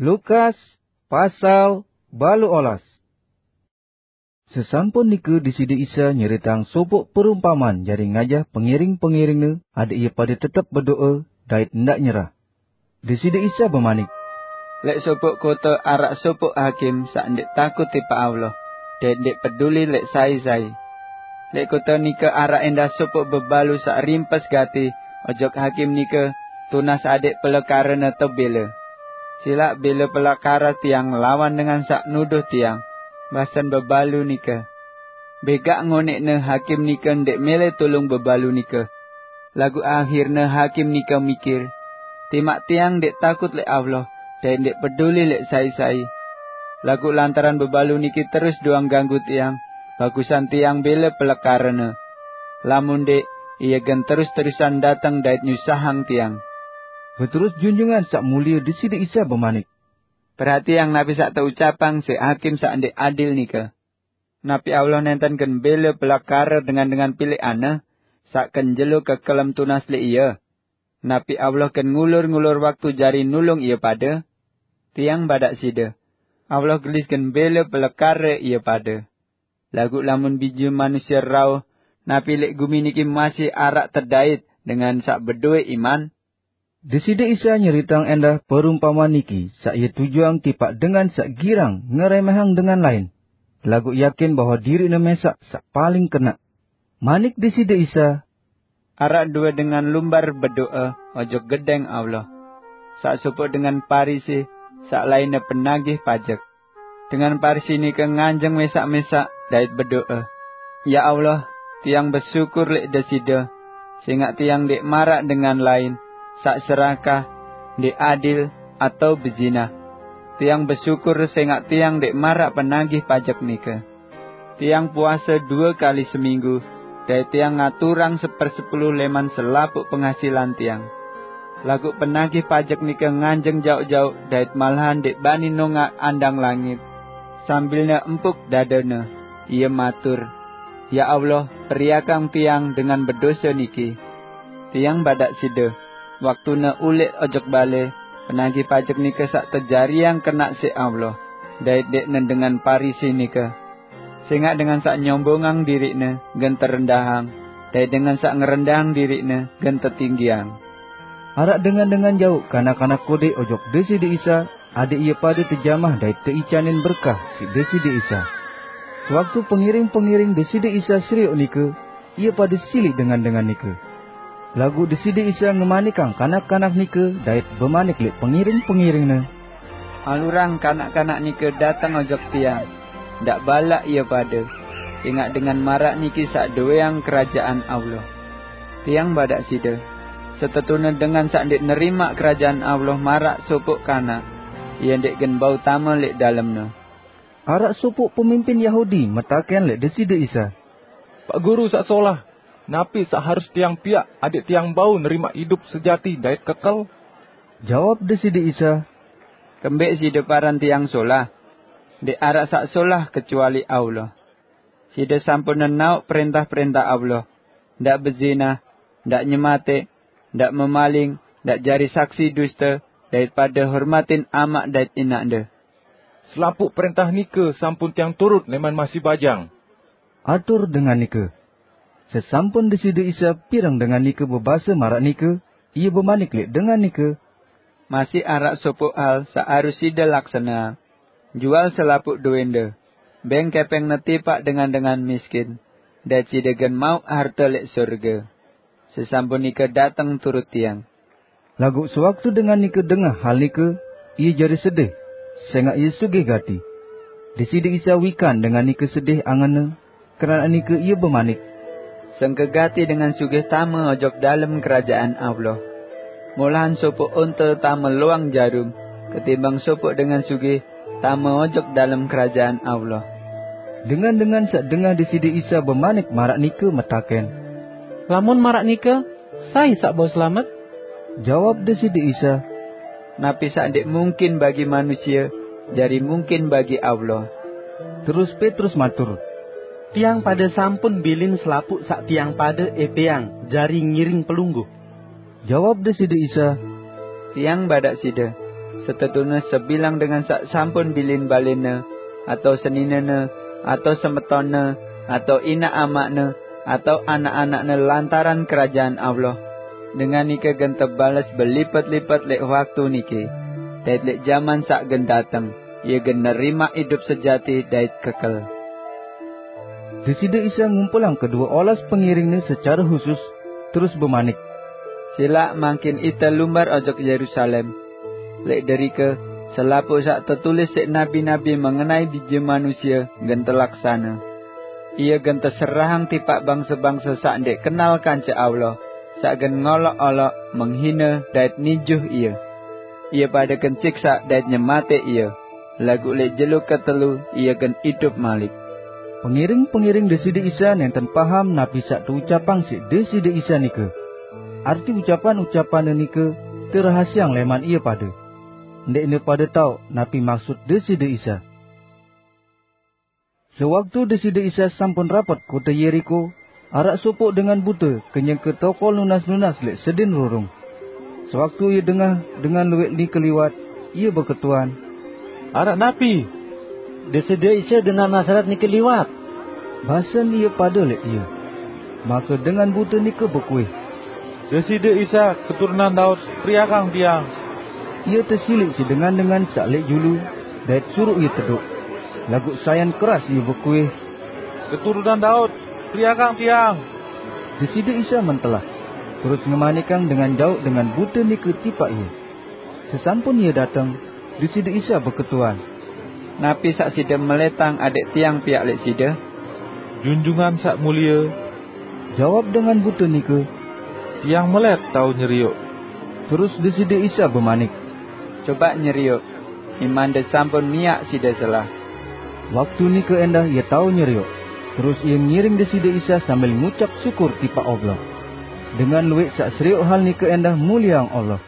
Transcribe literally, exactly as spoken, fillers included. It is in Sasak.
Lukas pasal balu olas. Sesampun nika Deside Isa nyeritang sopoq perumpaman jari ngajah pengiring-pengiringne adeq ie pade tetep bedoe dait ndaq nyerah. Deside Isa bemanik, "Leq sopoq kote araq sopoq hakim saq ndeq takut tipaq Allah dait ndeq peduli leq sai-sai. Leq kote nike araq endah sopoq bebalu saq rimpes gati ojok hakim nike tunas adeq pelekarene tebele. Silaq bele pelekare tiang lawan dengan saq nuduh tiang," basen bebalu nike. Begaq ngoneqne hakim nike ndeq mele tulung bebalu nike. Laguq ahirne hakim nike mikir, "Timaq tiang ndeq takut leq Allah dait ndeq peduli leq sai-sai, laguq lantaran bebalu niki terus doang ganggu tiang, bagusan tiang bele pelekarene. Lamun ndeq, ie gen terus-terusan dateng dait nyusahang tiang." Beterus Junjungan Saq Mulie Deside Isa bemanik, "Perhatiang napi saq teucapang siq hakim saq ndeq adil nike. Napi Allah nenten gen bele pelekare dengan-dengan pileqan-Ne saq ken jelo kekelem tunas leq Ie? Napi Allah gen ngulur-ngulur waktu jari nulung ie pade? Tiang badaq side, Allah gelis gen bele pelekare ie pade. Laguq lamun Bije Manusie rauh, napi leq gumi niki masih araq tedait dengan saq bedoe iman?" Deside Isa nyeritang endah perumpaman niki saq Ie tujuang tipaq dengan saq girang ngeremehang dengan lain, laguq yakin bahwe diriqne mesaq saq paling kenaq. Manik Deside Isa, "Araq due dengan lumbar bedoe ojok Gedeng Allah. Saq sopoq dengan Parisi, saq lainne penagih pajek. Dengan Parisi nike nganjeng mesaq-mesaq dait bedoe, 'Ya Allah, tiang besyukur leq Deside, sengaq tiang ndeq maraq dengan lain saq serakah, ndeq adil, atao bezinah. Tiang besyukur sengaq tiang ndeq maraq penagih pajek nike. Tiang puase due kali seminggu, dait tiang ngaturang sepersepuluh leman selapuq penghasilan tiang.' Laguq penagih pajek nike nganjeng jaoq-jaoq dait malahan ndeq bani nongaq andang langit. Sambilne empuk dadene, ie matur, 'Ya Allah, periakang tiang dengan bedose niki.' Tiang badaq side, waktune uleq ojok bale, penagih pajek nike saq tejariang kenaq siq Allah, dait ndeqne dengan Parisi nike. Sengaq dengan saq nyombongang diriqne gen terendahang, dait dengan saq ngerendahang diriqne gen tetinggiang." Araq dengan-dengan jauq kanak-kanak kodeq ojok Deside Isa, adeq ie pade tejamah dait teicanin berkah siq Deside Isa. Sewaktu pengiring-pengiring Deside Isa serioq nike, ie pade siliq dengan-dengan nike. Laguq Deside Isa ngemanikang kanak-kanak nike dait bemanik leq pengiring-pengiring-Ne, "Alurang kanak-kanak nike dateng ojok Tiang, ndaq balaq ie pade, sengaq dengan maraq niki saq doweang Kerajaan Allah. Tiang badaq side, setetune dengan saq ndeq nerimaq Kerajaan Allah maraq sopoq kanak, ie ndeq gen bau tame leq dalemne." Araq sopoq pemimpin Yahudi metaken leq Deside Isa, "Paq Guru saq solah, napi saq harus tiang piaq adẽq tiang bau nerimaq idup sejati dait kekel?" Jawab Deside Isa, "Kembeq side paran Tiang solah? Ndeq araq saq solah kecuali Allah. Side sampun nenaoq prẽntah-prẽntah Allah, 'Ndaq bezinah, ndaq nyemateq, ndaq memaling, ndaq jari saksi duste, dait pade hormatin amaq dait inaqde.'" "Selapuq prẽntah nike sampun tiang turut lẽman masih bajang," atur dengan nike. Sesampun Deside Isa pireng dengan nike bebase maraq nike, Ie bemanik leq dengan nike, "Masih araq sopoq hal saq harus side laksaneang. Jual selapuq dowende, beng kepengne tipaq dengan-dengan miskin, dait side gen mauq harte leq sorge. Sesampun nike dateng turut Tiang." Laguq sewaktu dengan nike dengah hal nike, ie jari sedih, sengaq ie sugih gati. Deside Isa wikan dengan nike sedih angenne, keranaq nike Ie bemanik, "Sengke gati dengan sugih tame ojok dalem Kerajaan Allah. Molahan sopoq onte tame loang jarum, ketimbang sopoq dengan sugih tame ojok dalem Kerajaan Allah." Dengan-dengan saq dengah Deside Isa bemanik maraq nike metaken, "Lamun maraq nike, sai saq bau selamet?" Jawab Deside Isa, "Napi saq ndeq mungkin bagi manusie, jari mungkin bagi Allah." Terus Petrus matur, "Tiang pade sampun bilin selapuq saq tiang pade epeang jari ngiring Pelungguh." Jawab Deside Isa, "Tiang badaq side, Setetune sebilang dengan sak sampun bilin balinne, atau seninene, atau semetone, atau inak amakne, atau anak-anakne lantaran kerajaan Allah, dengan nike gen tebales belipet-lipet lek waktu niki, dait lek jaman sak gen dateng, ia gen nerima idup sejati dait kekel. Deside Isa ngumpulang kedue olas pengiringne secara khusus, terus bemanik, "Silaq mangkin ite lumbar ojok Yerusalem. Lek derike, selapuq saq tetulis siq nabi-nabi mengenai Bije Manusie gen telaksane. Ie gen teserahang tipaq bangse-bangse saq ndeq kenal kance Allah, saq gen ngolok-olok, menghine, dait nijuh Ie. Ie pade gen siksaq dait nyematiq Ie, laguq lek jelo ketelu Ie gen idup malik." Pengiring-pengiring Deside Isa nenten paham napi saq teucapang siq Deside Isa nike. Arti ucapan-ucapanne nike terahasiang leman ie pade. Ndeqne pade tao napi maksud Deside Isa. Sewaktu Deside Isa sampun rapet kote Yerikho, araq sopoq dengan bute kenyeke tokol nunas-nunas leq sedin rurung. Sewaktu ie dengah dengan lueq nike liwat, ie beketuan, "Araq napi? Deside Isa dengan Nazaret nike liwat!" Basen ie pade leq ie. Make dengan bute nike bekuih, "Deside Isa, keturunan Daud, periakang tiang!" Ie tesiliq siq dengan-dengan saq leq julu, dait suruq ie tedoq. Laguq sayan keras ie bekuih, "Keturunan Daud, periakang tiang!" Deside Isa mentelah, terus ngemanikang dengan jauq dengan bute nike tipaq ie. Sesampun ie dateng, Deside Isa beketuan, "Napi saq side meletang adeq tiang piaq leq side?" "Junjungan Saq Mulie," jawab dengan bute nike, "tiang melet tao nyerioq." Terus Deside Isa bemanik, "Cobaq nyerioq, imande sampun miaq side selah." Waktu nike endah ie tao nyerioq, terus ie ngiring Deside Isa sambil ngucap syukur tipaq Allah. Dengan lueq saq serioq hal nike endah mulieang Allah.